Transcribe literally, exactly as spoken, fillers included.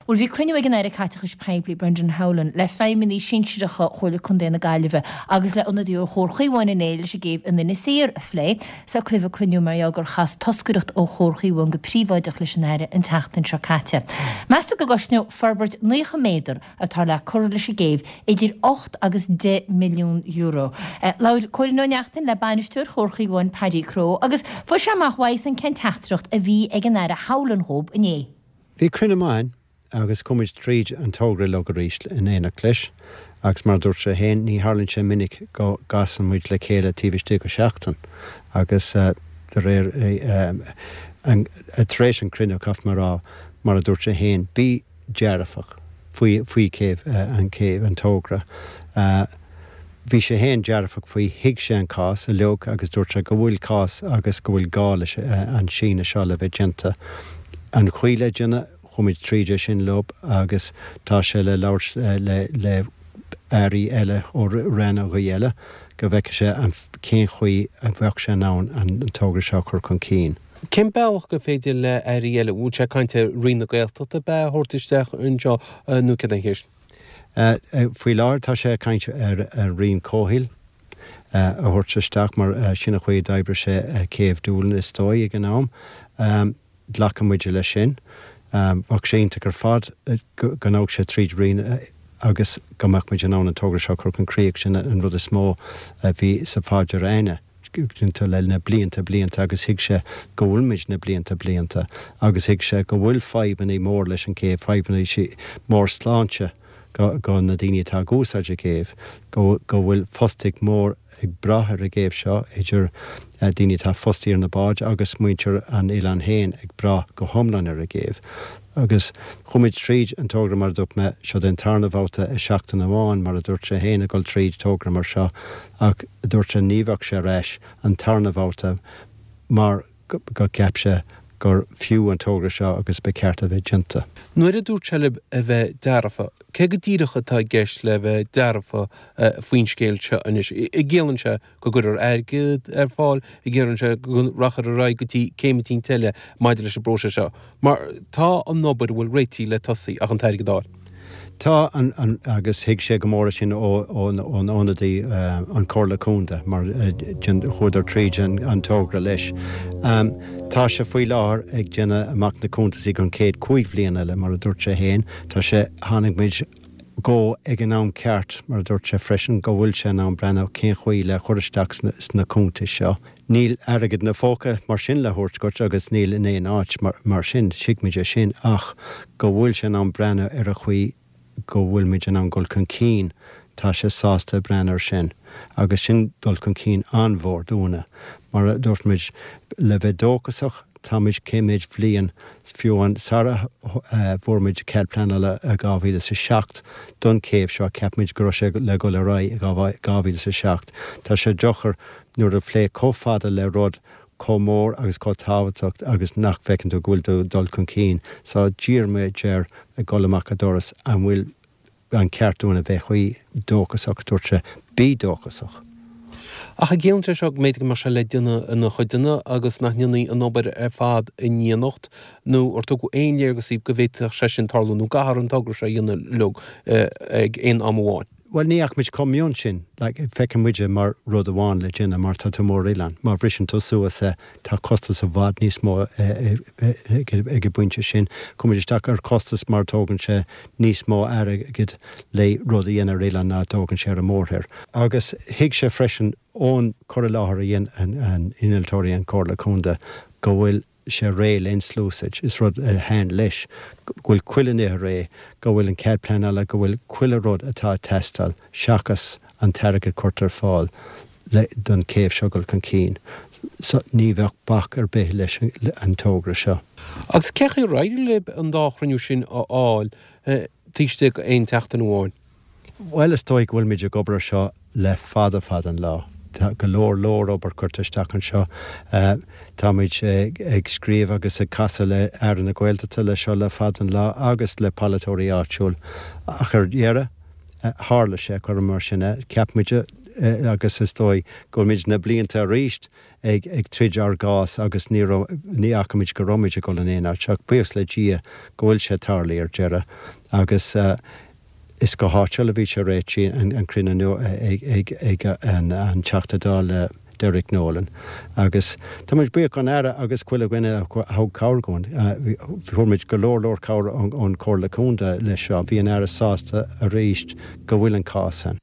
Bhuel bhí cruinniú ag an Aire Caiteachais Poiblí Brendan Howlin le feidhmeannaigh sinsearacha Chomhairle Contae na Gaillimhe agus le ionadaí ó Chomhar Chaomháin inné leis an gcéibh in Inis Oírr a phlé. Socraíodh an cruinniú mar gheall gur chas toscaireacht ó Chomhar Chaomháin go príobháideach leis an Aire an tseachtain seo caite. Meastar go gcosnódh forbairt naocha méadar atá le cur leis an gcéibh idir ocht agus deich milliún euro. Labhair Cóilín Ó Neachtain le bainisteoir Chomhar Chaomháin Paddy Crowe agus fuair sé amach uaidhsean cén teachtaireacht a bhí ag an Aire Howlin dhóibh inné. Bhí cruinniú maith agus chuaigh muid tríd an togra uilig arís in éineacht leis, agus mar a dúirt sé féin, ní tharlaíonn sé minic go gcasann muid le chéile taobh istigh de sheachtain agus de réir tar éis an cruinniú caithfidh mé a rá, mar a dúirt sé féin, bí dearfach faoi faoi céibh an céibh an togra. Bhí sé féin dearfach faoi, thuig sé an cás uilig agus dúirt sé go bhfuil cás agus go bhfuil gá leis an síneadh seo le bheith déanta. An chaoi le déanamh, chuaigh muid tríd é sin leo agus tá sé le labhairt le le airí eile ó rannógaí eile go bhfeicfidh sé an cén chaoi a bheadh sé in ann an togra seo a chur chun cinn. Cén bealach gur féidir le airí eile, bhfuil sé ag caint ar Roinn na Gaeltachta ab ea a thabhairt isteach anseo nó céard é an cheist? Faoi láthair tá sé ag caint ar an Roinn Comhshaoil a thabhairt isteach mar sin an chaoi a d'oibrigh sé céibh Doolin is dóigh ag an am. Glacann muide leis sin. Bheadh sé iontach ar fad go ngabhadh sé tríd Roinn agus go mbeadh muid in ann an togra seo a chur chun críoch. Sin an rud is mó a bhí sa phaidir againne le na blianta blianta agus thuig sé go bhfuil muid na blianta blianta agus thuig sé go bhfuil fadhbanna mór leis an céibh, fadhbanna mór sláinte go go na daoine atá ag úsáid an chéibh, go go bhfuil fostaíocht mór ag brath ar an gcéibh seo idir daoine atá fostaithe ar na báid agus muintir an oileáin féin ag brath go hiomlán ar an gcéibh. Agus chuaigh muid tríd an togra mar a dúirt mé, seo den tarna babhta i seachtain amháin mar a dúirt sé féin ag dul tríd togra mar seo ach dúirt sé ní bheadh sé ar ais an tarna babhta mar go gceap sé gur fiú an togra seo agus ba cheart a bheith déanta. Nuair a dúirt sé libh a bheith dearfa, cé go díreach atá i gceist le bheith dearfa faoin scéal seo anois? An gciallaíonn sé go gcuirfear airgead ar fáil, an gciallaíonn sé go rachfar ar aghaidh go dtí céim eicínt eile maidir leis an bpróiseas seo? Mar tá an obair bhfuil réitithe le tosaí ach an t-airgead a fháil. Tá an, an, agus thuig sé go mór sin ó, ón, ón ionadaí an Comhairle Contae mar chuadar tríd an, an togra leis. Um, tá sé faoi láthair ag déanamh amach na cuntasaí don chéad cúig bhliain eile mar a dúirt sé féin, Tá sé tháinig muid go ag an am ceart mar a dúirt sé freisin go bhfuil sé in ann breathnú cén chaoi le chur isteach sna, sna cuntais seo. Níl airgead ina phóca mar sin le thabhairt duit agus níl in aon áit mar, mar sin tuigimid é sin ach go bhfuil sé in ann breathnú ar a chaoi go bhfuil muid in ann dul chun cinn tá sé sásta breathnú air sin agus sin dul chun cinn an-mhór dúinne mar a dúirt muid le bheith dóchasach táimid cé mhéad bhliain fiú an sara bhfuair muid cead pleanála i dhá mhíle is a seacht don chéibh seo cheap muid go raibh sé le dul ar aghaidh i dhá mhíle is a seacht. Tá sé deacair nuair a phlé chomh fada le rud chomh mór agus chomh tábhachtach agus nach bhfeiceann tú go bhfuil tú dul chun cinn. So d'iarr muid air ag dul amach an doras an bhfuil an ceart dúinn a bheith chuí dóchasach dúirt sé bí dóchasach. Ach an gciallaíonn sé seo go mb'fhéidir go mbeadh sé le déanamh ina chuideanna agus nach ndéanfaí an obair ar fad in éineacht nó ar tugadh aon léargas go bhféadfadh sé sin tarlú nó caithfear an togra seo a dhéanamh uilig ag aon am amháin. Well ní fhaca muid chomh mion sin, like, feiceann muide mar rud amháin le déanamh mar tá tú mór-oileán. Má bhriseann tú suas é tá costas i bhfad níos mó ag an bpointe sin. Chuaigh muid isteach ar costas mar tógann sé níos mó airgid le rud a dhéanamh ar oileán ná tógann sé ar an mórthír. Agus thuig sé freisin ón cur i láthair a dhein an innealtóirí an Comhairle Contae go bhfuil sé réidh le úsáid. Is rud a thaithin leis go bhfuil chuile ní réidh, go bhfuil an cead pleanála, go bhfuil chuile rud atá ag teastáil seachas an t-airgead curtha ar fáil le don chéibh seo dul chun cinn. So ní bheadh bac ar bith leis an togra seo. Agus cén chaoi ar éirigh libh an dá chruinniú sin a fháil taobh istigh d'aon tseachtain amháin? Well is dóigh go bhfuil muid ag obair seo le fada fada an lá. Tá go leor leor obair curtha isteach anseo. Táimid ag scríobh agus ag casadh le Aire na Gaeltachta le seo le fada an lá agus le polaiteoirí áitiúil. Ach ar deireadh tharla sé chur mar sin é cheap muid agus is dóigh go bhfuil muid na blianta arís ag ag troid ár gcás agus ní raibh ní fhaca muid go raibh muid ag dul in aon áit ach buíochas le Dia go bhfuil sé tarlaithe ar deireadh agus is go háitiúil a bhí sé réitithe an cruinniú inniu ag ag ag an an Teachta Dála Derek Nolan agus tá muid buíoch don Aire agus chuile dhuine a thug cabhair dúinn. Fuair muid go leor leor cabhair ón Chomhairle Contae leis seo. Bhí an Aire sásta arís go bhfuil an cás ann.